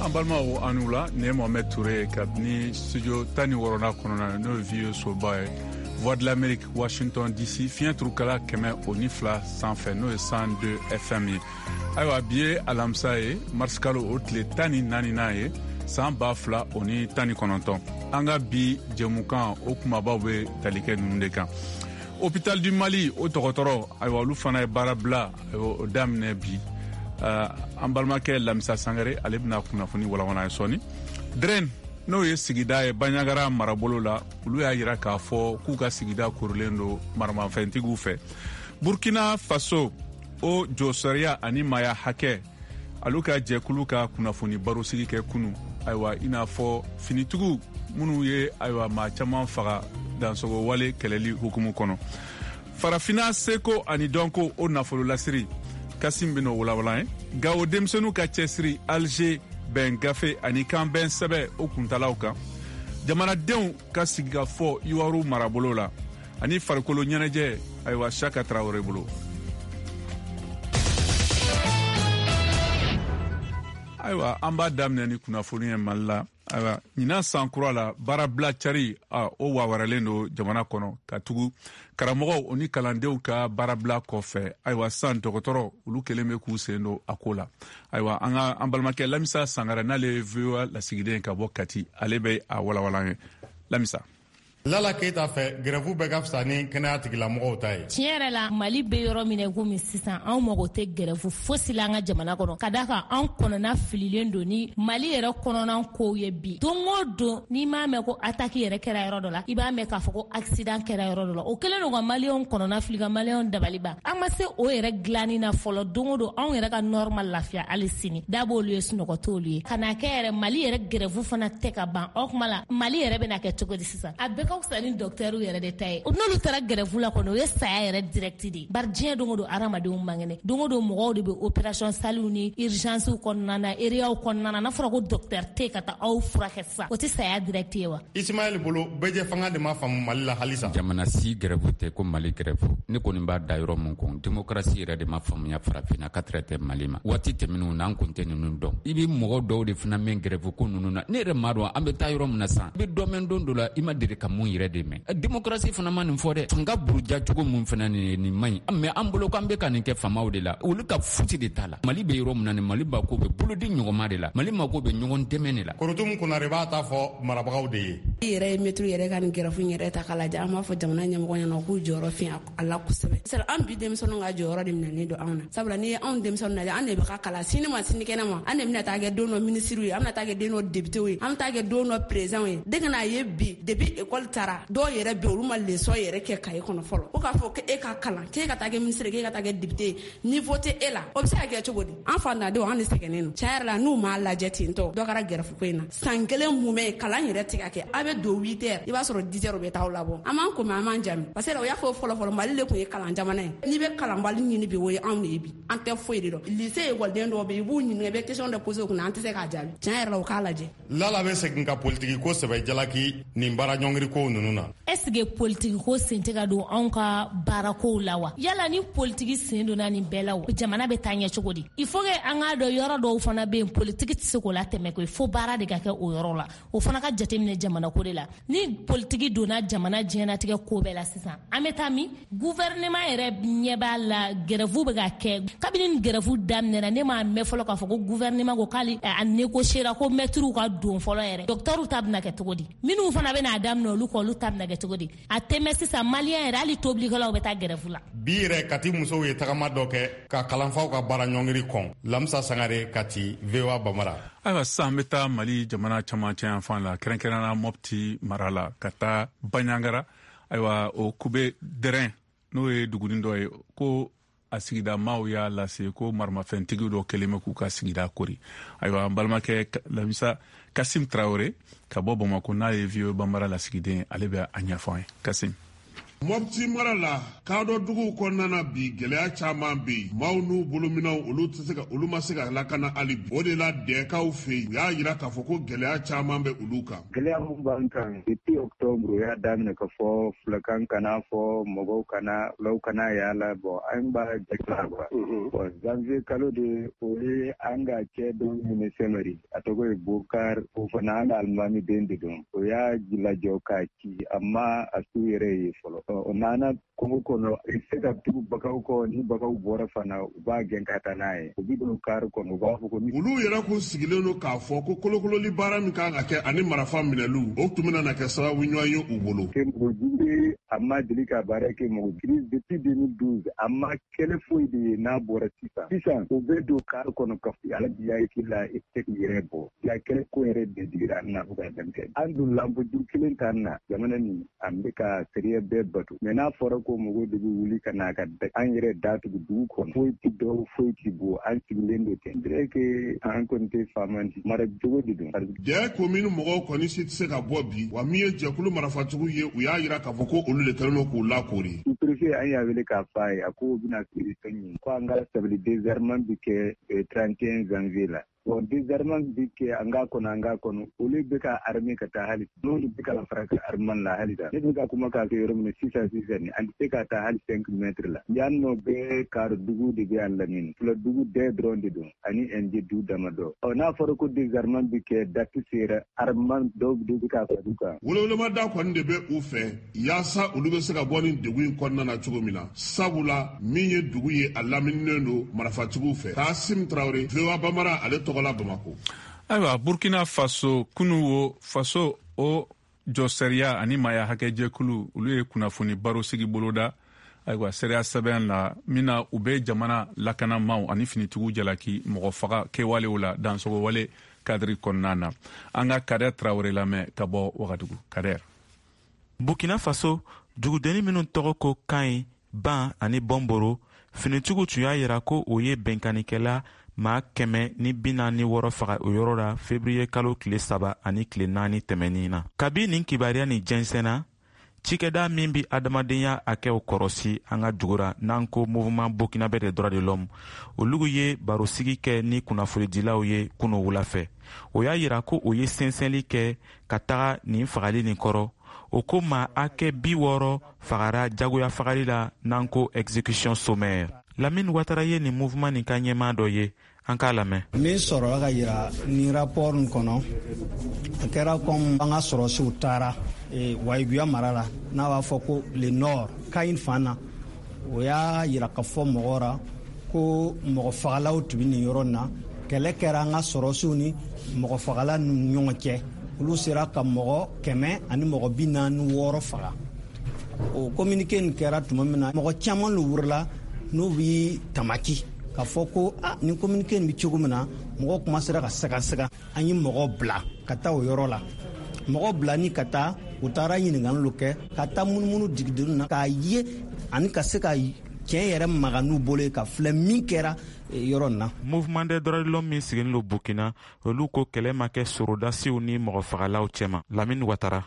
An balimaw, aw ni wula. Nin ye Mohamed Touré kabini studio 16nan kɔnɔna na, n'o ye VOA soba ye, Voix de l'Amérique, Washington DC, fiɲɛ turukala 102 sanfɛ, n'o ye 102 FM ye. Ayiwa, bi ye alamisa ye, marisikalo o tile 14nan ye, san 2019. An ka bi jɛmukan o kumabaw bɛ tali kɛ ninnu de kan: Hôpital du Mali o dɔgɔtɔrɔ, ayiwa, olu fana ye baara bila, ayiwa, o daminɛ bi. An balimakɛ Lamisa Sangare, ale bɛna kunnafoni walawala ye sɔɔni. Dren, n'o ye sigida ye Banjagara marabolo la, olu y'a yira k'a fɔ k'u ka sigida korilen don maramafɛntigiw fɛ. Burkina Faso o josariya ani maya hakɛ alu ka jɛkulu ka kunnafoni barosigi kɛ kunu, ayiwa, i n'a fɔ finitigiw minnu ye, ayiwa, maa caman faga dansogo wale kɛlɛli hukumu kɔnɔ. Farafina seko ani dɔnko o nafolo lasiri, Kasim bɛn'o walawala ye. Gawo denmisɛnninw ka cɛsiri Alger bɛn gafe ani kanbɛn sɛbɛ o kuntalaw kan, jamanadenw ka sigikafɔ Iwaru marabolo la, ani farikolo ɲɛnajɛ, ayiwa, Saka Tarawele bolo. Ayiwa, an b'a daminɛ ni kunnafoni ye Mali la. Ayiwa, ɲinan san kura la, baarabila cari o wawaralen don jamana kɔnɔ, ka tugu karamɔgɔw o ni kalandenw ka baarabila kɔfɛ. Ayiwa, san dɔgɔtɔrɔ olu kelen bɛ k'u sen don a ko la. Ayiwa, an ka an balimakɛ Lamisa Sangare, n'ale ye VOA lasigiden ka bɔ Kati, ale bɛ a walawala an ye. Lamisa. Lala Keyita fɛ, gɛrɛfu bɛɛ ka fisa ni kɛnɛya tigilamɔgɔw ta ye. Tiɲɛ yɛrɛ la, Mali bɛ yɔrɔ min na komi sisan, anw mago tɛ gɛrɛfu fosi la an ka jamana kɔnɔ, ka da kan anw kɔnɔna fililen don ni Mali yɛrɛ kɔnɔna kow ye bi. Don o don, n'i m'a mɛn ko attaque yɛrɛ kɛra yɔrɔ dɔ la, i b'a mɛn k'a fɔ ko accident kɛra yɔrɔ dɔ la. O kɛlen don ka maliyɛnw kɔnɔna fili, ka maliyɛnw dabali ban. An ma se o yɛrɛ dilanni na fɔlɔ. Don o don, anw yɛrɛ ka nord ma lafiya hali sini. Da b'olu ye, sunɔgɔ t'olu ye. Ka n'a kɛ yɛrɛ, Mali yɛrɛ gɛrɛfu fana tɛ ka ban. O tuma la, Mali yɛrɛ bɛna kɛ cogo di sisan? A bɛɛ ka fisa ni dɔkitɛriw yɛrɛ de ta ye. N'olu taara gɛrɛfu la kɔni, o ye saya yɛrɛ direct de ye, bari diɲɛ don o don, hadamadenw man kɛnɛ. Don o don, mɔgɔw de bɛ opération saliw ni urgence kɔnɔna na, eriyaw kɔnɔna na. N'a fɔra ko dɔkitɛri tɛ ka taa aw furakɛ sisan, o tɛ saya direct ye wa? Ismaël bolo, bɛɛjɛ fanga de ma faamu Mali la halisa. Jamana si gɛrɛfu tɛ ko Mali gɛrɛfu. Ne kɔni b'a da yɔrɔ min kun, démocratie yɛrɛ de ma faamuya farafinna ka tɛrɛ tɛ Mali ma. Waati tɛmɛnenw na, an kun tɛ ninnu dɔn. I bɛ mɔgɔ dɔw de fana mɛn gɛrɛfu ko ninnu na. Ne yɛrɛ m'a dɔn an bɛ taa yɔrɔ min na sisan. I bɛ dɔ mɛn don dɔ la, i ma deli ka mun yɛrɛ de mɛn. Démocratie fana ma nin fɔ dɛ. Fanga buruja cogo mun fana nin ye, nin man ɲi. Mais an bolo k'an bɛ ka nin kɛ faamaw de la, olu ka fosi de t'a la. Mali bɛ yɔrɔ min na nin, Mali mako bɛ bolodi ɲɔgɔnma de la, Mali mako bɛ ɲɔgɔn dɛmɛ de la. Korotum Konare b'a ta fɔ marabagaw de ye. I yɛrɛ ye mɛtiri yɛrɛ ka nin gɛrɛfu yɛrɛ ta k'a lajɛ, an b'a fɔ jamana ɲɛmɔgɔ ɲɛna k'u jɔyɔrɔ fi a la kosɛbɛ. Sari an bi denmisɛnninw ka jɔyɔrɔ de minɛnen don anw na, sabula n'i ye anw denmisɛnninw lajɛ, an de bɛ ka kalan sini ma sinikɛnɛ ma, an de bɛna taa kɛ don dɔ minisiriw ye, an bɛna taa kɛ den dɔ députéw ye, an bɛ taa kɛ don dɔ présidentw ye. De ka n'a ye bi, depuis école taara, dɔw yɛrɛ bɛ olu ma leçon yɛrɛ kɛ kaye kɔnɔ fɔlɔ. Ko k'a fɔ k'e ka kalan, k'e ka taa kɛ minisiri, k'e ka taa kɛ député ye, niveau tɛ e la, o bɛ se ka kɛ cogo di? An fantandenw, an de sɛgɛnnen don tiɲɛ yɛrɛ la. N'u m'a lajɛ ten tɔ, dɔ kɛra gɛrɛfu ko in na. San kelen mumɛ kalan yɛrɛ tɛ ka kɛ. A bɛ don 8 heures, i b'a sɔrɔ 10 heures u bɛ taa aw labɔ. An b'an ko, an b'an jami, parce que o y'a fɔ fɔlɔ fɔlɔ, Mali de tun ye kalan jamana ye. N'i bɛ kalanbali ɲini bi, o ye anw de ye bi. An tɛ foyi de dɔn. Lycée ekɔliden dɔw bɛ yen, i b'u ɲininka, i bɛ question dɔ poser u kunna, an tɛ se k'a jaabi. Tiɲɛ yɛrɛ la, u k'a lajɛ. Lala bɛ segin ka politiki ko sɛbɛ jalaki nin baara ɲɔngiri kow ninnu na. Est ce que politiki ko sen tɛ ka don anw ka baarakow la wa? Yala ni politiki sen donna nin bɛɛ la, o jamana bɛ taa ɲɛ cogo di? Il faut que an k'a dɔn, yɔrɔ dɔw fana bɛ yen, politiki tɛ se k'o latɛmɛ koyi, fo baara de ka kɛ o yɔrɔ la. O fana ka jateminɛ jamana ko de la. Ni politiki donna jamana diɲɛnatigɛ ko bɛɛ la sisan, an bɛ taa min? Gouvernement yɛrɛ ɲɛ b'a la, grève bɛ ka kɛ. Kabini ni grève daminɛna, ne m'a mɛn fɔlɔ k'a fɔ ko gouvernement ko k'ale a négociera ko mɛtiriw ka don fɔlɔ yɛrɛ. Docteurw ta bɛna kɛ cogo di? Minnu fana bɛna daminɛ olu kɔ, olu ta bɛna kɛ cogo di? A tɛmɛ sisan, maliyɛn yɛrɛ, hali tobilikɛlaw bɛ taa grève la. Bi yɛrɛ, Kati musow ye tagama dɔ kɛ ka kalanfaw ka baara ɲɔngiri kɔn. Lamisa Sangare, Kati, VOA Bambara. Ayiwa, sisan an bɛ taa Mali jamana camancɛ yanfan la, kɛrɛnkɛrɛnnenya Mɔpti mara la, ka taa Baɲangara. Ayiwa, o kube dɛrɛn, n'o ye dugunin dɔ ye, ko a sigida maaw y'a lase ko maramafɛntigi dɔ kɛlen bɛ k'u ka sigida kori. Ayiwa, an balimakɛ Lamisa Kasim Tarawele ka bɔ Bamako, n'a ye VOA Bambara lasigiden, ale bɛ a ɲɛfɔ an ye. Kasim. Mɔpti mara la, kadɔ duguw kɔnɔna na bi, gɛlɛya caman bɛ yen. Maaw n'u bolominɛnw, olu tɛ se ka, olu ma se ka lakana hali bi. O de la, dɛkaw fɛ yen, u y'a yira k'a fɔ ko gɛlɛya caman bɛ olu kan. Gɛlɛya mun b'an kan depuis octobre, o y'a daminɛ ka fɔ fulakan kana fɔ, mɔgɔw kana, fulaw kana yaala. Bon, an b'a jate quoi. Bon, janvier kalo de, o ye an ka cɛ dɔ minɛ Sɛmɛri, a tɔgɔ ye Bokar. O fana an ka alimami den de don. O y'a lajɔ k'a ci, a ma a su yɛrɛ ye fɔlɔ. O nana kungo kɔnɔ, i tɛ se ka tugu bagaw kɔ. Ni bagaw bɔra fana, u b'a gɛn ka taa n'a ye. U bɛ don kari kɔnɔ, u b'a fɔ ko Olu yɛrɛ kun sigilen don k'a fɔ ko kolokololi baara min kan ka kɛ ani marafa minɛliw, o tun bɛna na kɛ sababu ɲuman ye u bolo. Mɔgɔ jugu ye, a ma deli ka baara kɛ mɔgɔ crise depuis 2012, a ma kɛlɛ foyi de ye n'a bɔra sisan. Sisan u bɛ don kari kɔnɔ ka ala biya i la, i tɛ k'i yɛrɛ bɔ. Ya kɛlɛ ko yɛrɛ de digira an na fo ka dan kɛ. An dun lamɔju kelen t'an na. Jamana nin, an bɛ ka sariya bɛɛ bato, mais n'a fɔra ko mɔgɔw de bɛ wuli ka na ka an yɛrɛ datugu dugu kɔnɔ, foyi ti dɔw, foyi ti bɔ, an sigilen don ten dire que an kɔni tɛ faama di mara cogo de don. Dɛ komini mɔgɔw kɔni si tɛ se ka bɔ bi wa. Min ye jɛkulu marafatigiw ye, u y'a yira k'a fɔ ko olu de kɛlen don k'u lakori. Sous-préfet, an y'a wele k'a f'a ye, a ko u bɛna solution ɲini, ko an ka sabali, désarmement bi kɛ 31 janvier la. Bon, désarmement bi kɛ, an k'a kɔnɔ, an k'a kɔnɔ. Olu bɛ ka armée ka taa hali n'olu bɛ ka fara ka armement la hali ne bɛ ka kuma k'a kɛ yɔrɔ min na sisan sisan ni an tɛ se ka taa hali 5 mètres la. Yan nɔ bɛɛ kari dugu de bɛ an lamini, fula dugu bɛɛ dɔrɔn de don ani NG du damadɔ. Ɔ, n'a fɔra ko désarmement bi kɛ, date sera, armement dɔw de bɛ ka fara u kan. Welewelema kɔni de bɛ u fɛ yaasa olu bɛ se ka bɔ nin degun in kɔnɔna na cogo min na, sabula min ye dugu ye, a lamininen don marafatigiw fɛ. Kasim Tarawele, VOA Bamara, ale tɔgɔ la Bamako. Ayiwa, Burkina Faso, kunu wo faso o jɔsariya ani maaya hakɛjɛkulu, olu ye kunnafoni baro sigi boloda. Ayiwa, sariya sɛbɛn la min na u bɛ jamana lakanamaw ani finitigiw jalaki mɔgɔ faga kɛwalew la dansɔgɔwale kadiri kɔnɔna na. An ka Kadɛr Tarawele lamɛn ka bɔ Wagadugu. Kadɛr. Burkina Faso, dugudenni minnu tɔgɔ ko Kaɲi, Ban ani Bɔnboro, finitigiw tun y'a yira ko o ye bɛnkannikɛla maa 146 faga o yɔrɔ la fevriye kalo tile 3 ani tile 4 tɛmɛnin na. Kabi nin kibaruya nin jɛnsɛnna, cikɛda min bi adamadenya hakɛw kɔrɔsi an ka dugu ra, n'an ko Mouvement burkinabé des droits de l'homme, olugu ye barosigi kɛ ni kunnafonidilaw ye kunu wula fɛ. O y'a yira ko o ye sɛnsɛnli kɛ ka taga nin fagali nin kɔrɔ. O ko maa hakɛ 60 fagara jagoya fagali la, n'an ko exécution sommaire. Lamine Watara ye nin mouvement nin ka ɲɛmaa dɔ ye, an k'a lamɛn. Min sɔrɔla ka yira ni rapport nin kɔnɔ, a kɛra comme an ka sɔrɔsiw taara Wayiguya mara la, n'a b'a fɔ ko le nord, Kayin fan na. O y'a yira ka fɔ mɔgɔ ra ko mɔgɔ fagalaw tun bɛ nin yɔrɔ na. Kɛlɛ kɛra an ka sɔrɔsiw ni mɔgɔ fagala ni ɲɔgɔn cɛ. Olu sera ka mɔgɔ 146 faga. O communiqué nin kɛra tuma min na, mɔgɔ caman lo wurila n'u bi tamaki k'a fɔ ko a nin communiqué nin bɛ cogo min na. Mɔgɔw kuma sera ka sɛgɛsɛgɛ. An ye mɔgɔ bila ka taa o yɔrɔ la. Mɔgɔ bila ni ka taa, u taara ɲininkali kɛ, ka taa munumunu digideni na k'a ye ani ka se ka tiɲɛ yɛrɛ maga n'u bolo ye, ka filɛ min kɛra yɔrɔ nin na. Mouvement des droits de l'homme min sigilen don Burkina, olu ko kɛlɛ ma kɛ sorodasiw ni mɔgɔfagalaw cɛma. Lamine Watara.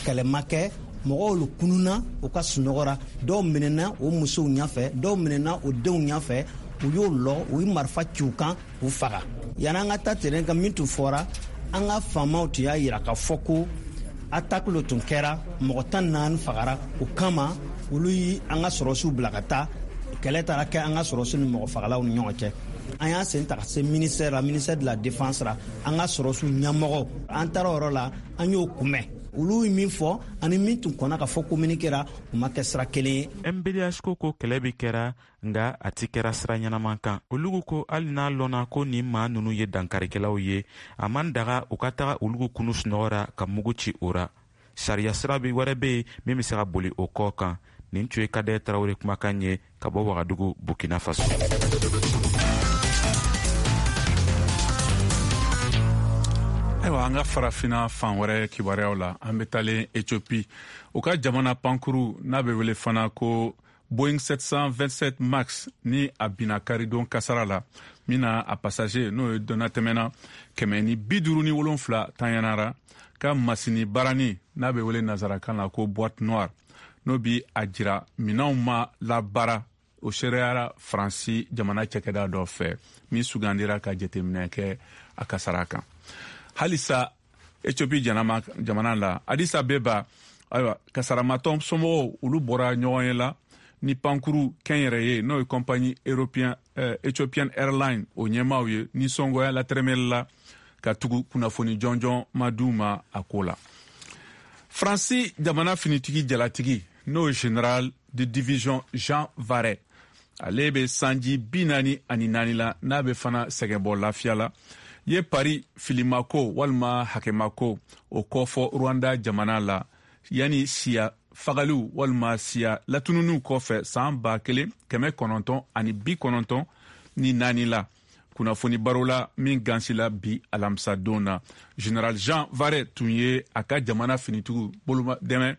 Kɛlɛ ma kɛ. Mɔgɔw lu kununa u ka sunɔgɔra, dɔw minɛna o musow ɲɛfɛ, dɔw minɛna o denw ɲɛfɛ. U y'o lɔ, u ye marifa ci u kan k'u faga. Yanni an ka taa terrain kan, min tun fɔra, an ka faamaw tun y'a yira k'a fɔ ko attaque lo tun kɛra, mɔgɔ 14 fagara. O kama, olu yi an ka sɔrɔsiw bila ka taa. Kɛlɛ taara kɛ an ka sɔrɔsiw ni mɔgɔ fagalaw ni ɲɔgɔn cɛ. An y'a sen ta ka se ministère la, ministère de la défense la. An ka sɔrɔsiw ɲɛmɔgɔw, an taara o yɔrɔ la, an y'o kunbɛn. Olu ye min fɔ ani min tun kɔnna ka fɔ communiqué ra, u ma kɛ sira kelen ye. MBDH ko kɛlɛ bi kɛra, nga a ti kɛra sira ɲɛnaman kan. Olugu ko hali n'a lɔnna ko nin maa nunu ye dankarikɛlaw ye, a man daga u ka taga olugu kunu sunɔgɔ ra ka mugu ci o ra. Sariya sira bi wɛrɛ be yen min be se ka boli o kɔ kan. Nin tun ye Kadɛ Tarawele kumakan ye ka bɔ Wagadugu, Burkina Faso. Ayiwa, an ka farafina fan wɛrɛ kibaruyaw la, an bɛ talen Ethiopie. U ka jamana pankuru n'a bɛ wele fana ko Boeing 727 Max ni a binna karidon kasara la, min na a passager, n'o ye donnatɛmɛna 157 tanyanara, ka masini barani n'a bɛ wele nazarakan na ko boîte noire. N'o bi a jira minɛnw ma labaara, o seereyara Faransi jamana cakɛda dɔ fɛ min sugandira ka jateminɛ kɛ a kasara kan. Halisa Ethiopie jamana la, Addis Abeba, ayiwa, kasaramatɔn somɔgɔw, olu bɔra ɲɔgɔn ye la ni pankuru kɛnyɛrɛye, n'o ye compagnie européen Ethiopian Airline, o ɲɛmaaw ye nisɔngoya latɛrɛmɛli la, ka tugu kunnafoni jɔnjɔn ma d'u ma a ko la. Faransi jamana finitigi jalatigi, n'o ye général de division Jean Varret, ale bɛ sanji 44 la, n'a bɛ fana sɛgɛnbɔ lafiya la, ye Paris filimako walima hakɛmako o kɔfɔ Rwanda jamana la, yanni siya fagaliw walima siya latununiw kɔfɛ san 1994 la. Kunnafoni baro la min gansila bi alamisadon na, général Jean Varret tun ye a ka jamana finitigiw boloma dɛmɛ,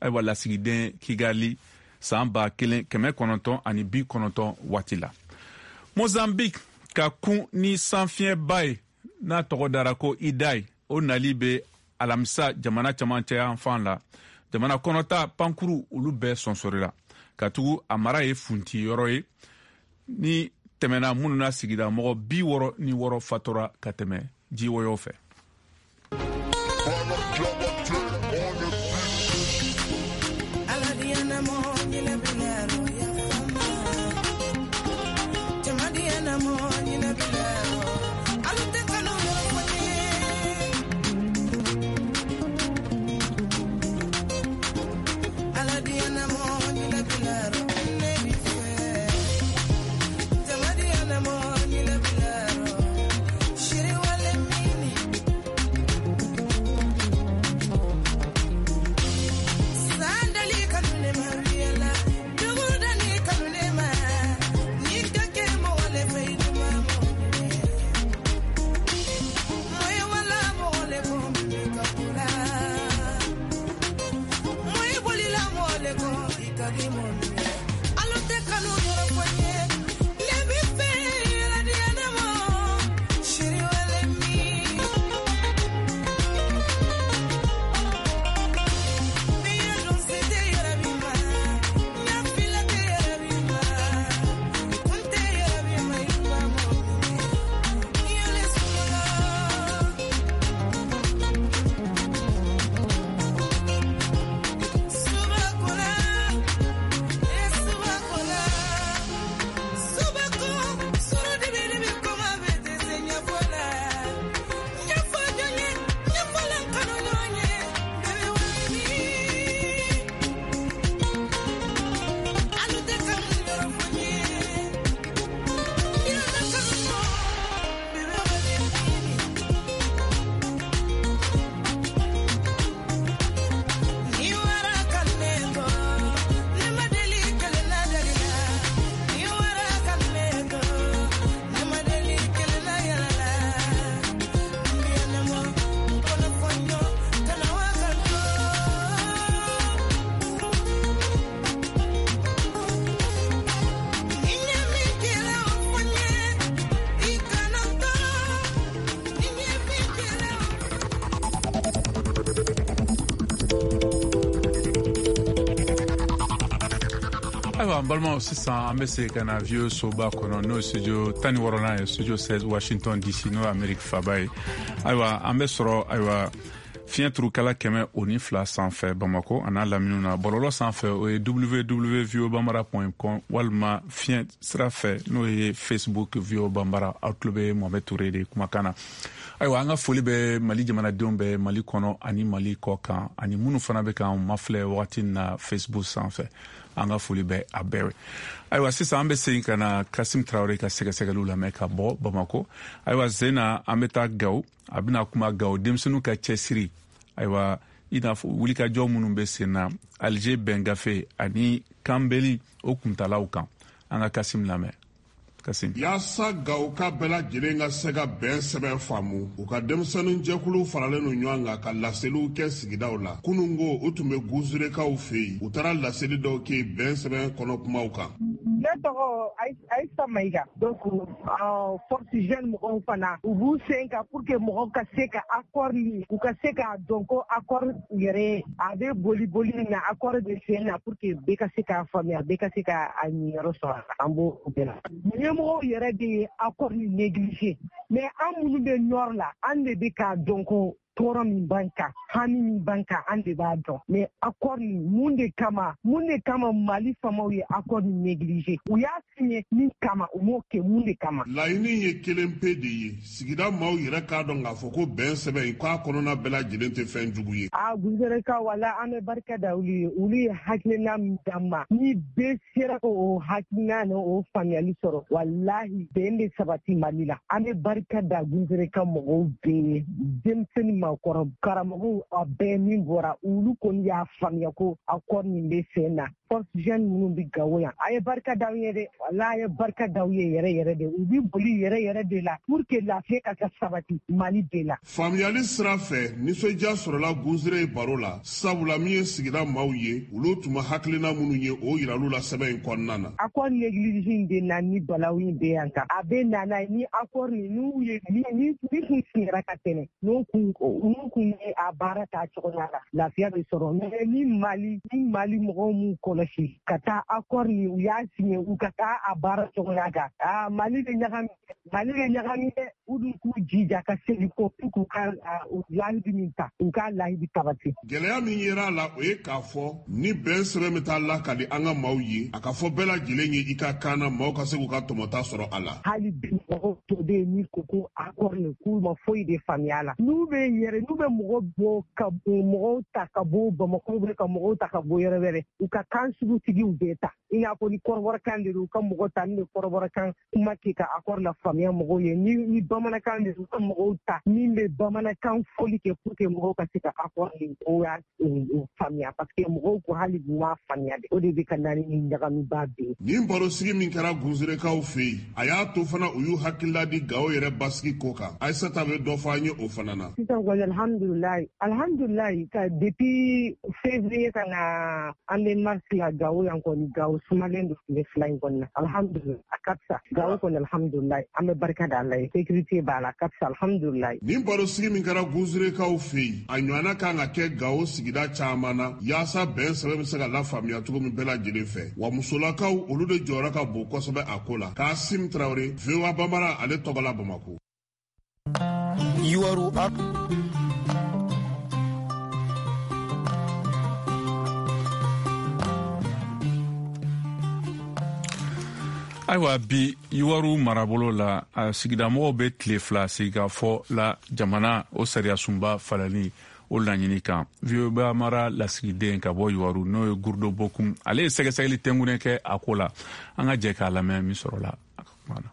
ayiwa, lasigiden Kigali san 1990 waati la. Mozambique ka kun ni sanfiɲɛba ye n'a tɔgɔ dara ko Idai, o nali bɛ alamisa jamana camancɛ yanfan la. Jamana kɔnɔta pankuru, olu bɛɛ sɔnsɔrila, ka tugu a mara ye funti yɔrɔ ye ni tɛmɛna minnu na, sigida mɔgɔ 66 fatura ka tɛmɛ jiwɔyɔ fɛ. Ayiwa, n balimaw, sisan an bɛ segin ka na VOA soba kɔnɔ, n'o ye studio 16nan ye, studio 16, Washington DC, n'o ye Amerique faba ye. Ayiwa, an bɛ sɔrɔ, ayiwa, fiɲɛ turukala 102 sanfɛ Bamako a n'a laminiw na. Bɔlɔlɔ sanfɛ, o ye www voa bambara com, walima fiɲɛ sira fɛ, n'o ye Facebook VOA Bambara. Aw tulo bɛ Mohamed Touré de kumakan na. Ayiwa, an ka foli bɛ Mali jamanadenw bɛ Mali kɔnɔ ani Mali kɔ kan, ani minnu fana bɛ k'an mafilɛ wagati na Facebook sanfɛ, an ka foli bɛ a bɛɛ ye. Ayiwa, sisan an bɛ segin ka na Kasim Tarawele ka sɛgɛsɛgɛliw lamɛn ka bɔ Bamako. Ayiwa, zena an bɛ taa Gawo. A bɛna kuma Gawo denmisɛnninw ka cɛsiri, ayiwa, i n'a fɔ wulikajɔ minnu bɛ sen na Alger bɛn gafe ani kanbeli o kuntalaw kan. An ka Kasim lamɛn. Kasim. Yaasa Gawoka bɛɛ lajɛlen ka se ka bɛn sɛbɛn faamu, u ka denmisɛnnin jɛkulu faralen no ɲɔgɔn kan ka laseliw kɛ sigidaw la. Kunungo, u tun bɛ Guzurekaw fɛ yen. U taara laseli dɔw kɛ bɛn sɛbɛn kɔnɔ kumaw kan. Ne tɔgɔ Ayisa Mayiga. Donc force jeune mɔgɔw fana u b'u sen kan pour que mɔgɔw ka se ka accord nin, u ka se k'a dɔn ko accord yɛrɛ a bɛ boli boli min na, accord bɛ sen na, pour que bɛɛ ka se k'a faamuya, bɛɛ ka se k'a ɲiyɔrɔ sɔrɔ. An b'o bɛɛ la. Ɲɛmɔgɔw yɛrɛ de ye accord nin négliger, mais an minnu bɛ nord la, an de bɛ k'a dɔn ko tɔɔrɔ min b'an kan, hami min b'an kan, an de b'a dɔn. Mais accord nin, mun de kama Mali faamaw ye accord nin négliger? U y'a signé min kama, u m'o kɛ, mun de kama? Laɲini ye kelen pe de ye, sigida maaw yɛrɛ k'a dɔn k'a fɔ ko bɛn sɛbɛn in k'a kɔnɔna bɛɛ lajɛlen tɛ fɛn jugu ye. A Guzereka, wala an bɛ barika da olu ye. Olu ye hakilina min d'an ma, ni bɛɛ sera k'o hakilina ni o faamuyali sɔrɔ, walahi bɛn bɛ sabati Mali la. An bɛ barika da Guzereka mɔgɔw bɛɛ ye, denmisɛnnin, maakɔrɔ, karamɔgɔw, a bɛɛ min bɔra, olu kɔni y'a faamuya ko accord nin bɛ sen na. Force jeune minnu bɛ Gawo yan, a ye barika d'aw ye dɛ, wala a ye barika d'aw ye yɛrɛ yɛrɛ de. U bɛ boli yɛrɛ yɛrɛ de la pour que lafiya ka ka sabati Mali bɛɛ la. Faamuyali sira fɛ, nisɔndiya sɔrɔla Guzere baro la, sabula min ye sigida maaw ye, olu tun ma hakilina minnu ye, o yiral'u la sɛbɛn in kɔnɔna na. Accord négligé in de na ni balawu in bɛ yan kan. A bɛ na n'a ye ni accord nin n'u ye ni kun sigira ka tɛmɛ, n'u kun ye a baara ta cogoya la, lafiya bɛ sɔrɔ. Mais ni Mali mɔgɔw m'u kɔlɔsi ka taa accord nin u y'a signé, u ka taa a baara cogoya kan, aa Mali bɛ ɲagami, Mali bɛ ɲagami dɛ. U dun k'u jija ka segin kɔ k'u ka lahidu min ta, u k'a lahidu sabati. Gɛlɛya min yera a la, o ye k'a fɔ ni bɛn sɛbɛn bɛ taa lakali an ka maaw ye, a ka fɔ bɛɛ lajɛlen ye i ka kan na, maaw ka se k'u ka tɔmɔta sɔrɔ a la. Hali bi mɔgɔw tɔ bɛ yen min ko ko accord nin, k'u ma foyi de faamuya a la. N'u bɛ yɛrɛ, n'u bɛ mɔgɔ bɔ ka mɔgɔw ta ka bɔ Bamakɔ, bɛ ka mɔgɔw ta ka bɔ yɔrɔ wɛrɛ, u ka kan sugutigiw bɛɛ ta. I n'a fɔ ni kɔrɔbɔrɔkan de don, u ka mɔgɔ ta min bɛ kɔrɔbɔrɔkan kuma kɛ ka accord la faamuya mɔgɔw ye. Ni bamanankan de don, u ka mɔgɔw ta min bɛ bamanankan fɔli kɛ pour que mɔgɔw ka se ka accord nin o y'a faamuya, parce que mɔgɔw ko hali bi u m'a faamuya de. O de bɛ ka na ni ɲagamiba bɛɛ ye. Nin barosigi min kɛra Guzerekaw fɛ yen, a y'a to fana u y'u hakilila di Gawo yɛrɛ basigi ko kan. Ayisata bɛ dɔ fɔ an ye o fana na. Sisan kɔni alhamdulilayi, ka depuis février ka na an bɛ mars la, Gawo yan kɔni, Gawo sumalen don tile 2 in kɔni na. Alhamdulilayi, a ka fisa Gawo kɔni, alhamdulilayi, an bɛ barika da Ala ye, sécurité b'a la, a ka fisa, alhamdulilayi. Nin barosigi min kɛra Guzerekaw fɛ yen, a ɲɔgɔnna kan ka kɛ Gawo sigida caman na, yaasa bɛn sɛbɛn bɛ se ka lafaamuya cogo min bɛɛ lajɛlen fɛ. Wa musolakaw, olu de jɔyɔrɔ ka bon kosɛbɛ a ko la. Kasim Tarawele, VOA Bambara, ale tɔgɔ la Bamakɔ. Yuwaru. Ayiwa, bi Yuwaru marabolo la, a sigidamɔgɔw bɛ tile 2 sigikafɔ la jamana o sariyasunba falali o laɲini kan. VOA mara lasigiden ka bɔ Yuwaru, n'o ye Gurudo Bokum, ale ye sɛgɛsɛgɛli tɛnkunnen kɛ a ko la. An ka jɛ k'a lamɛn min sɔrɔla a ka kuma na.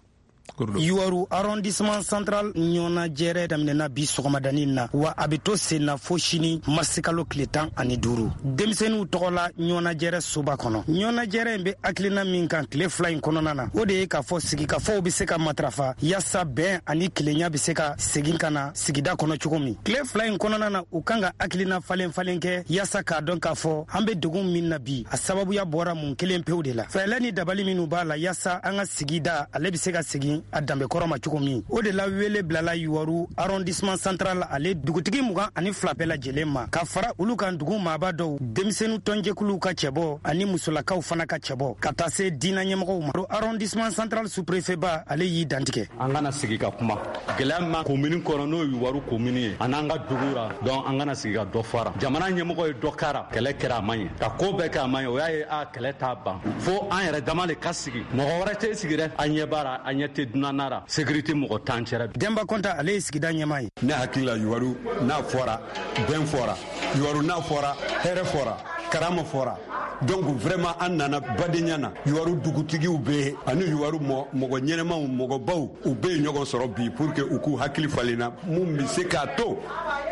Yuwaru arrondissement central ɲɔnajɛrɛ daminɛna bi sɔgɔmadani na, wa a bɛ to sen na fo sini marisikalo tile 15. Denmisɛnninw tɔgɔ la ɲɔnajɛrɛ soba kɔnɔ. Ɲɔnajɛrɛ in bɛ hakilina min kan tile 2 in kɔnɔna na, o de ye k'a fɔ sigikafɔw bɛ se ka matarafa yaasa bɛn ani kelenya bɛ se ka segin ka na sigida kɔnɔ cogo min. Tile 2 in kɔnɔna na, u kan ka hakilina falen falen kɛ yaasa k'a dɔn k'a fɔ an bɛ degun min na bi, a sababuya bɔra mun kelen pewu de la. Fɛɛrɛ ni dabali minnu b'a la yaasa an ka sigida ale bɛ se ka segin a danbekɔrɔ ma cogo min. O de la wele bilala Yuwaru arrondissement central ale dugutigi 22 bɛɛ lajɛlen ma, ka fara olu kan dugu maaba dɔw, denmisɛnnin tɔnjɛkuluw ka cɛbɔ ani musolakaw fana ka cɛbɔ, ka taa se diinɛ ɲɛmɔgɔw ma. Arrondissement central sous-préfet ba, ale y'i dantigɛ. An kana sigi ka kuma gɛlɛya ma komini kɔnɔ, n'o ye Yuwaru komini ye, a n'an ka dugu ra. Donc an kana sigi ka dɔ fara. Jamana ɲɛmɔgɔ ye dɔ kara, kɛlɛ kɛra a man ɲɛ, ka ko bɛɛ kɛ a man ɲɛ. O y'a ye a kɛlɛ t'a ban fo an yɛrɛ dama de ka sigi, mɔgɔ wɛrɛ tɛ sigi dɛ. An ɲɛ b'a la, an ɲɛ tɛ dunan na. Sécurité mɔgɔ t'an cɛra. Denba Kɔnta, ale ye sigida ɲɛmaa ye. Ne hakili la, Yuwaru n'a fɔra, bɛn fɔra. Yuwaru n'a fɔra, hɛrɛ fɔra, karama fɔra. Donc vraiment an nana badenya na. Yuwaru dugutigiw bɛ yen ani Yuwaru mɔgɔ ɲɛnɛmaw, mɔgɔbaw, u bɛ yen ɲɔgɔn sɔrɔ bi pour que u k'u hakili falenna mun bɛ se k'a to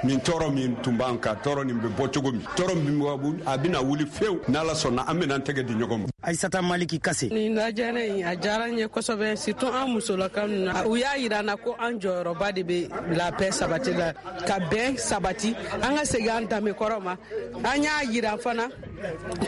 nin tɔɔrɔ min tun b'an kan, tɔɔrɔ nin bɛ bɔ cogo min, tɔɔrɔ min a bɛna wuli fewu. N'Ala sɔnna, an bɛna an tɛgɛ di ɲɔgɔn ma. Ayisata Maliki Kase. Nin lajɛrɛ in a diyara n ye kosɛbɛ, surtout an musolakaw ninnu. U y'a yira n na ko an jɔyɔrɔba de bɛ la paix sabati la, ka bɛn sabati, an ka segin an danbe kɔrɔ ma. An y'a yira fana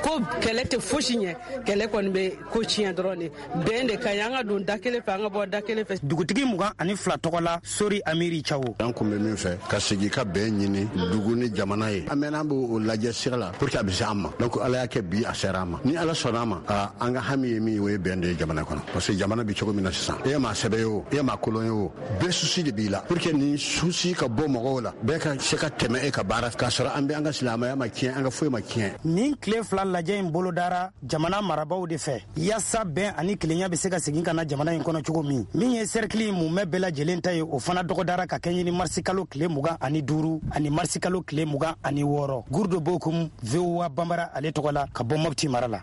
Ko kɛlɛ tɛ fosi ɲɛ, kɛlɛ kɔni bɛ ko tiɲɛ dɔrɔn de. Bɛn de ka ɲi, an ka don da kelen fɛ, an ka bɔ da kelen fɛ. Dugutigi 22 tɔgɔ la, Sori Amiri Cawo. An kun bɛ min fɛ ka segin ka bɛn ɲini dugu ni jamana ye, an mɛnna an b'o lajɛ sira la pour que a bɛ se an ma. Donc Ala y'a kɛ bi a sera an ma. Ni Ala sɔnna a ma, an ka hami ye min ye, o ye bɛn de ye jamana kɔnɔ. Parce que jamana bɛ cogo min na sisan, e maa sɛbɛ ye o, e maa kolon ye o, bɛɛ souci de b'i la. Pour que nin souci ka bɔ mɔgɔw la, bɛɛ ka se ka tɛmɛ e ka baara k'a sɔrɔ an bɛ an ka silamɛya ma tiɲɛ, an ka foyi ma tiɲɛ. Nin tile 2 lajɛ in bolodara jamana marabaw de fɛ yaasa bɛn ani kelenya bɛ se ka segin ka na jamana in kɔnɔ cogo min. Min ye sɛrikili in mumɛ bɛɛ lajɛlen ta ye, o fana dɔgɔdara ka kɛɲɛ ni marisikalo tile 25 ani marisikalo tile 26. Gurdo Bokum, VOA Bambara ale tɔgɔ la ka bɔ Mopti mara la.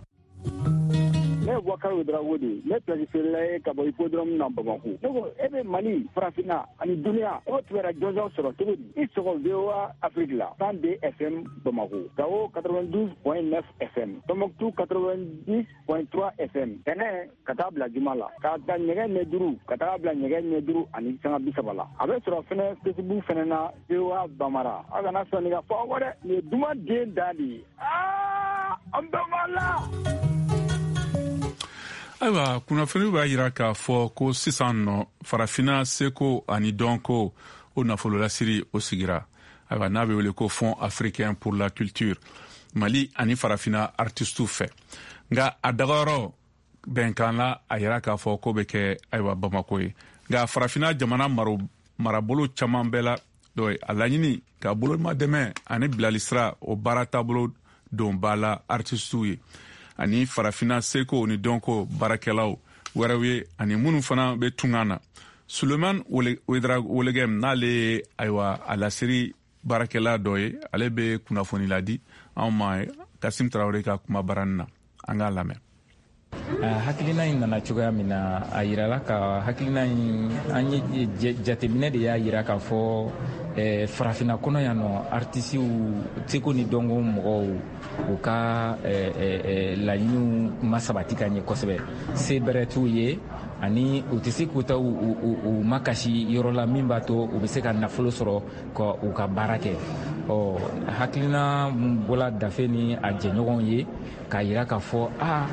Ne ye Bubakari Ouedraogo de ye, ne pilasi feerela ye ka bɔ hippodrome na Bamako. Ne ko e bɛ Mali, Farafinna ani duniya, e b'o kibaruya jɔnjɔn sɔrɔ cogo di? I sɔgɔ VOA Afrique la, 102 FM Bamako, Gao 92.9 FM, Tombouctou 90.3 FM, tɛnɛ ka taa bila juma la, k'a ta nɛgɛ ɲɛ 5 ka taa bila nɛgɛ ɲɛ 5:30 la. A bɛ sɔrɔ fɛnɛ Facebook fɛnɛ na, VOA Bambara. Aw kana sɔn nin ka fɔ aw kɔ dɛ, nin ye duman den dan de ye. Aa, an bɛɛ b'a la. Ayiwa, kunnafoni b'a yira k'a fɔ ko sisan nɔ farafinna seko ani dɔnko o nafololasiri o sigira. Ayiwa, n'a bɛ wele ko Fonds africain pour la culture, Mali ani farafinna artistew fɛ. Nka a dagayɔrɔ bɛnkan la, a yira k'a fɔ ko bɛ kɛ ayiwa Bamako ye. Nka farafinna jamana marabolo caman bɛɛ la dɔ ye a laɲini ka bolomadɛmɛ ani bilalisira o baara taabolo don ba la artistew ye ani farafinna seko ni dɔnko baarakɛlaw wɛrɛw ye ani minnu fana bɛ tunga na. Suleman Welegem, n'ale ye ayiwa a lasiri baarakɛla dɔ ye, ale bɛ kunnafoni ladi anw ma Kasim Tarawele ka kuma barani na, an k'a lamɛn. Hakilina in nana cogoya min na, a yirala ka hakilina in an ye jateminɛ de y'a yira k'a fɔ farafinna kɔnɔ yan nɔ, artisiw seko ni dɔnko mɔgɔw u ka laɲiniw ma sabati ka ɲɛ kosɛbɛ. Se bɛrɛ t'u ye ani u tɛ se k'u ta u makasi yɔrɔ la min b'a to u bɛ se ka nafolo sɔrɔ ka u ka baara kɛ. Ɔ hakilina mun bɔla Dafe ni a jɛɲɔgɔnw ye k'a yira k'a fɔ a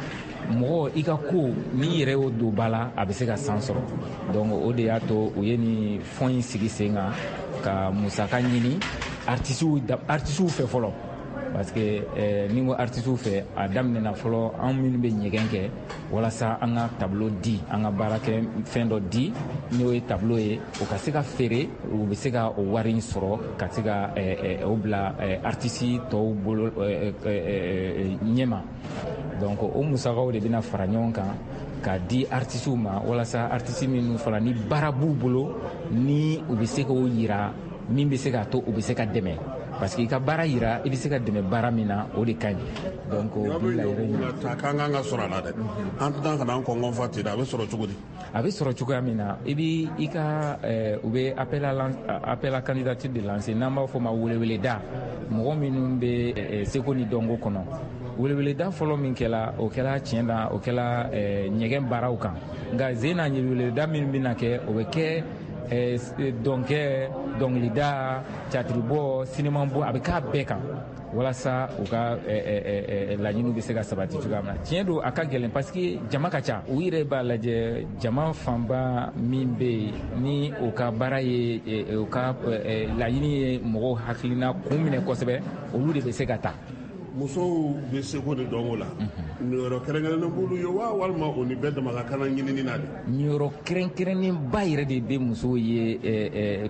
mɔgɔ i ka ko n'i yɛrɛ y'o don ba la, a bɛ se ka san sɔrɔ. Donc o de y'a to u ye nin fond in sigi sen kan ka musaka ɲini artisiw fɛ fɔlɔ. Parce que ni ko artisiw fɛ, a daminɛna fɔlɔ an minnu bɛ ɲɛgɛn kɛ walasa an ka tableau di, an ka baara kɛ fɛn dɔ di, n'o ye tableau ye, o ka se ka feere, u bɛ se ka o wari in sɔrɔ ka se ka o bila artisi tɔw bolo ɲɛma. Donc o musakaw de bɛna fara ɲɔgɔn kan k'a di artisiw ma walasa artisi minnu fana ni baara b'u bolo, ni u bɛ se k'o yira min bɛ se k'a to u bɛ se ka dɛmɛ. Parce que i ka baara yira, i bɛ se ka dɛmɛ baara min na, o de ka ɲi. Donc o bi la yɛrɛ ɲini. Ta k'an kan ka sɔrɔ a la dɛ. An tɛna ka na an kɔngɔn fa ten dɛ, a bɛ sɔrɔ cogo di? A bɛ sɔrɔ cogoya min na, i b'i i ka u bɛ appel à candidature de lancer, n'an b'a fɔ o ma weleweleda. Mɔgɔ minnu bɛ seko ni dɔnko kɔnɔ. Weleweleda fɔlɔ min kɛla, o kɛla tiɲɛ na, o kɛla ɲɛgɛn baaraw kan. Nka zen na weleweleda min bɛna kɛ, o bɛ kɛ dɔnkɛ, dɔnkilida, teatribɔ, sinimabɔ, a bɛ k'a bɛɛ kan walasa u ka laɲiniw bɛ se ka sabati cogoya min na. Tiɲɛ don, a ka gɛlɛn parce que jama ka ca. U yɛrɛ b'a lajɛ jama fanba min bɛ yen ni u ka baara ye, u ka laɲini ye mɔgɔw hakilina kun minɛ kosɛbɛ, olu de bɛ se ka ta. Musow bɛ seko ni dɔnko la, niyɔrɔ kɛrɛnkɛrɛnnen b'olu ye wa, walima o ni bɛɛ dama ka kan ɲinini na de? Niyɔrɔ kɛrɛnkɛrɛnnenba yɛrɛ de bɛ musow ye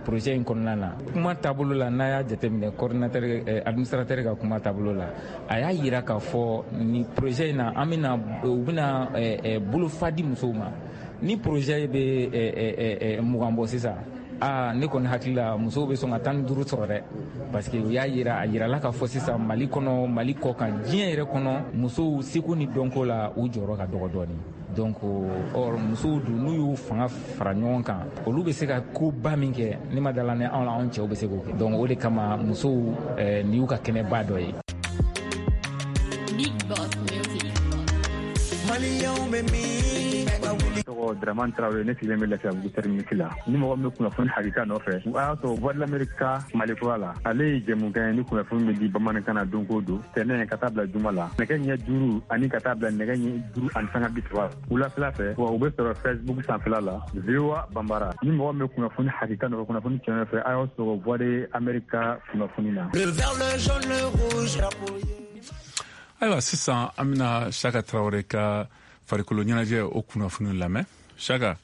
projet in kɔnɔna na. Kuma taabolo la, n'a y'a jateminɛ coordinateur, administrateur ka kuma taabolo la, a y'a yira k'a fɔ ni projet in na, an bɛna, u bɛna bolofa di musow ma. Ni projet bɛ 20 bɔ sisan, aa ne kɔni hakili la musow bɛ sɔn ka 15 sɔrɔ dɛ, parce que u y'a yira, a yirala k'a fɔ sisan Mali kɔnɔ, Mali kɔ kan, diɲɛ yɛrɛ kɔnɔ, musow seko ni dɔnko la u jɔyɔrɔ ka dɔgɔ dɔɔni. Donc or musow dun n'u y'u fanga fara ɲɔgɔn kan, olu bɛ se ka koba min kɛ, ne ma dala ni anw la, anw cɛw bɛ se k'o kɛ. Donc o de kama musow nin y'u ka kɛnɛba dɔ ye. Big Boss Music. Maliɲɛnw bɛ min? Tɔgɔ Dramane Traoré, ne sigilen bɛ Lafiyabugu terminus la. Ni mɔgɔ min bɛ kunnafoni hakika nɔfɛ, a y'a sɔrɔ Voix de l'Amérique ka Mali kura la. Ale ye jɛmukan ye ni kunnafoni bɛ di bamanankan na don o don, tɛnɛn ka taa bila juma la, nɛgɛ ɲɛ 5 ani ka taa bila nɛgɛ ɲɛ 5:30 wulafɛla fɛ. Wa u bɛ sɔrɔ Facebook sanfɛla la, VOA Bambara. Ni mɔgɔ min bɛ kunnafoni hakika nɔfɛ, kunnafoni tiɲɛ nɔfɛ, a y'aw sɔrɔ Voix de l'Amérique ka kunnafoni na. Le vert, le jaune, le rouge. Ayiwa, sisan an bɛna Saka Tarawele ka farikolo ɲɛnajɛ o kunnafoni lamɛn. Saka.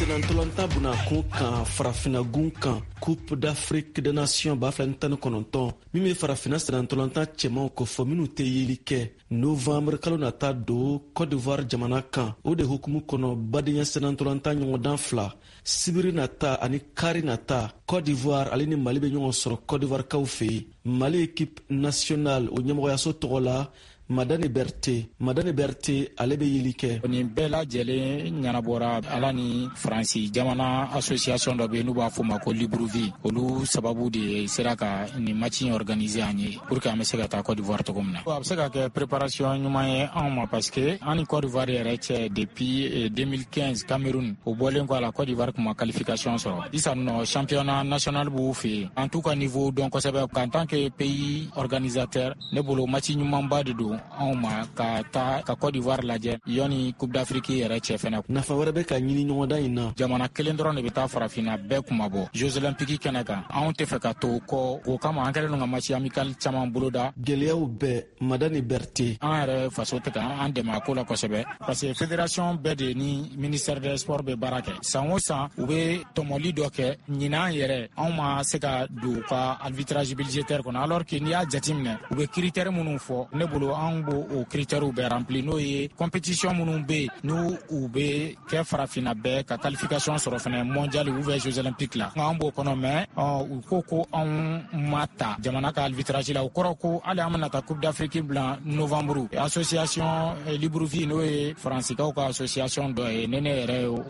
Senantolantan bunakun kan, farafinagun kan, Coupe d'Afrique des Nations 2019, min bɛ farafina senantolantan cɛmanw kofɔ minnu tɛ yeli kɛ, novembre kalo nata don Côte d'Ivoire jamana kan. O de hukumu kɔnɔ, badenya senantolantan ɲɔgɔndan fila, sibiri nata ani kari nata, Côte d'Ivoire ale ni Mali bɛ ɲɔgɔn sɔrɔ Côte d'Ivoire kaw fɛ yen. Mali équipe nationale o ɲɛmɔgɔyaso tɔgɔ la, Madani Berte. Madani Berte, ale bɛ yeli kɛ. Nin bɛɛ lajɛlen ɲɛnabɔra Ala ni Faransi jamana association dɔ bɛ yen n'u b'a fɔ ma ko Libreville. Olu sababu de sera ka nin match in organiser an ye pour que an bɛ se ka taa Côte d'Ivoire cogo min na. A bɛ se ka kɛ préparation ɲuman ye anw ma, parce que an ni Côte d'Ivoire yɛrɛ cɛ depuis 2015 Cameroun, o bɔlen kɔ a la, Côte d'Ivoire tun ma qualification sɔrɔ. Sisan nɔ, championnat national b'u fɛ yen. An t'u ka niveau dɔn kosɛbɛ. En tant que pays organisateur, ne bolo match ɲumanba de don anw ma ka taa ka Côte d'Ivoire lajɛ yanni Coupe d'Afrique yɛrɛ cɛ fɛnɛ. Nafa wɛrɛ bɛ ka ɲini ɲɔgɔndan in na. Jamana kelen dɔrɔn de bɛ taa farafinna bɛɛ kunmabɔ Jeux olympiques kɛnɛ kan. Anw tɛ fɛ ka to kɔ, o kama an kɛlen don ka match amical caman boloda. Gɛlɛyaw bɛɛ, Madani Berte. An yɛrɛ faso tɛ ka an dɛmɛ a ko la kosɛbɛ, parce que fédération bɛɛ de ni ministère des sports bɛ baara kɛ. San o san, u bɛ tɔmɔli dɔ kɛ. Ɲinan yɛrɛ, anw ma se ka don u ka arbitrage budgétaire kɔnɔ, alors que n'i y'a jateminɛ, u bɛ critère minnu fɔ, ne bolo anw b'o o critères bɛɛ rempli, n'o ye compétition minnu bɛ yen n'u u bɛ kɛ farafinna bɛɛ ka qualification sɔrɔ fɛnɛ mondial ou bien Jeux olympiques la, an b'o kɔnɔ. Mais u ko ko anw ma ta jamana ka arbitrage la, o kɔrɔ ko hali an bɛna taa Coupe d'Afrique bila novembre. Association Libreville, n'o ye faransikaw ka association dɔ ye, ne yɛrɛ ye o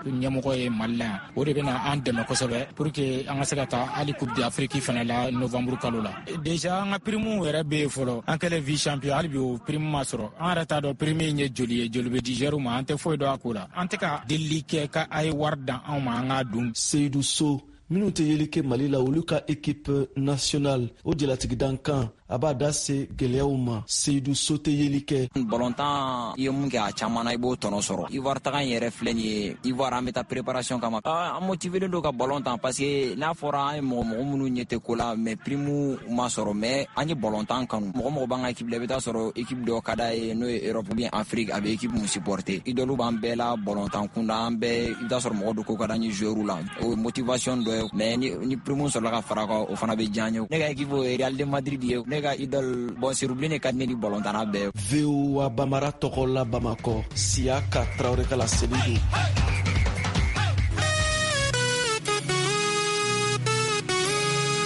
ɲɛmɔgɔ ye Mali la yan, o de bɛna an dɛmɛ kosɛbɛ pour que an ka se ka taa hali Coupe d'Afrique fɛnɛ la novembre kalo la. Déjà an ka prime yɛrɛ bɛ yen fɔlɔ. An kɛlen vice champion, hali bi o prime ma sɔrɔ. An yɛrɛ t'a dɔn prime in ye joli ye, joli bɛ di joueur ma, an tɛ foyi dɔn a ko la. An tɛ ka delili kɛ ka a ye wari dan anw ma, an k'a dun. Seyidu So, minnu tɛ yeli kɛ Mali la, olu ka équipe nationale o jalatigidankan, a b'a da se gɛlɛyaw ma. Seyidu So tɛ yeli kɛ. Balontan, i ye mun kɛ a caman na, i b'o tɔnɔ sɔrɔ. Ivoire taga in yɛrɛ filɛ nin ye, Ivoire an bɛ taa préparation kama. An motivelen don ka balon tan, parce que n'a fɔra an ye mɔgɔ mɔgɔ minnu ɲɛ tɛ ko la, mais prime ma sɔrɔ, mais an ye balontan kanu. Mɔgɔ mɔgɔ b'an ka équipe la, i bɛ taa sɔrɔ équipe dɔ ka d'a ye, n'o ye Europe ou bien Afrique, a bɛ équipe mun supporter. Idole b'an bɛɛ la balontan kunda, an bɛɛ, i bɛ taa sɔrɔ mɔgɔ dɔ ko ka d'an ye joueur la, o ye motivation dɔ ye. Mais ni prime sɔrɔla ka fara kan, o fana bɛ diya an ye. Ne ka équipe o ye Real de Madrid ye. Ne ka idole, bon, Serubili ka di ne ni balontanna bɛɛ. VOA Bamara tɔgɔ la, Bamakɔ, Siyaka Tarawele ka laseli don.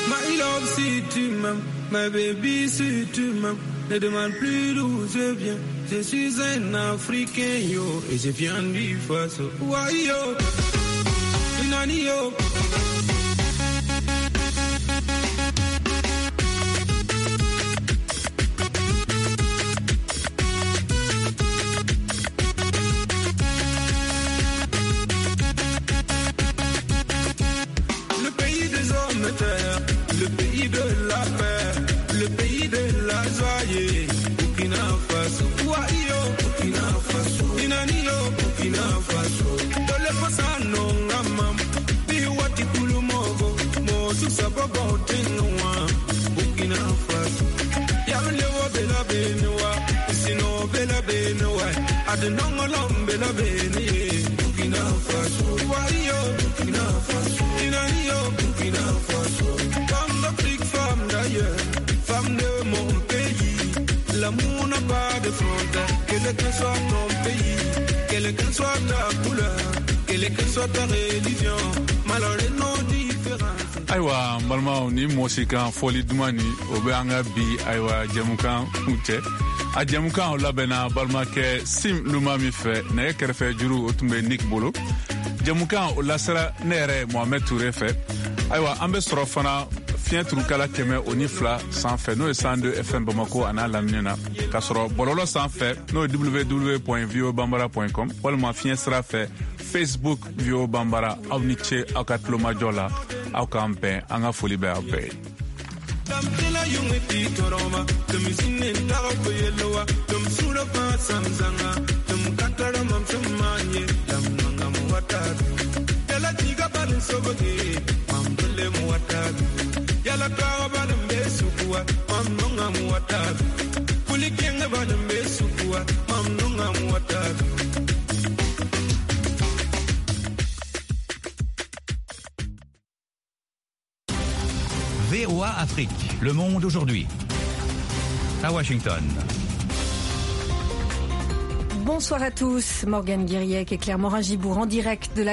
My love, si tu m'aimes, my baby, si tu m'aimes, ne demande plus d'où je viens. Je suis un Africain, yo, et je viens du Faso. Ouais, yo, Inani, yo. Le pays de la paix, le pays de la joie, Burkina Faso. Wa-yo, Burkina Faso. Inani-yo, Burkina Faso. Dole fasa no ngamam, bi wati kulumogo, mo susa bobo tinwa, Burkina Faso. Yamle wo bela benwa, sino bela benwa, adenongolom bela beni, Burkina Faso. Wa-yo, Burkina Faso. Inani-yo, Burkina Faso. Femme d'ailleurs, femme de mon pays, l'amour n'a pas de frontières, quel que soit ton pays, quelle que soit ta couleur, quelle que soit ta religion, malgré nos différences. Ayiwa, n balimaw, ni mɔsikan fɔli duman ni o bɛ an ka bi, ayiwa, jɛmukan kuncɛ. A jɛmukan o labɛnna balimakɛ Sim Luma min fɛ, nɛgɛ kɛrɛfɛ juru o tun bɛ Nick bolo. Jɛmukan o lasera ne yɛrɛ Mohamed Touré fɛ. Ayiwa, an bɛ sɔrɔ fana Fiɲɛ turukala 102 sanfɛ, n'o ye 102 FM Bamako a n'a lamini na, k'a sɔrɔ bɔlɔlɔ sanfɛ, n'o ye www.voabambara.com, walima fiɲɛ sira fɛ Facebook VOA Bambara. Aw ni ce aw ka tulomajɔ la. Aw k'an bɛn. An ka foli bɛ aw bɛɛ ye. VOA Afrique, le monde aujourd'hui. À Washington. Bonsoir à tous, Morgane Guiriec et Claire Morin-Gibourg en direct de la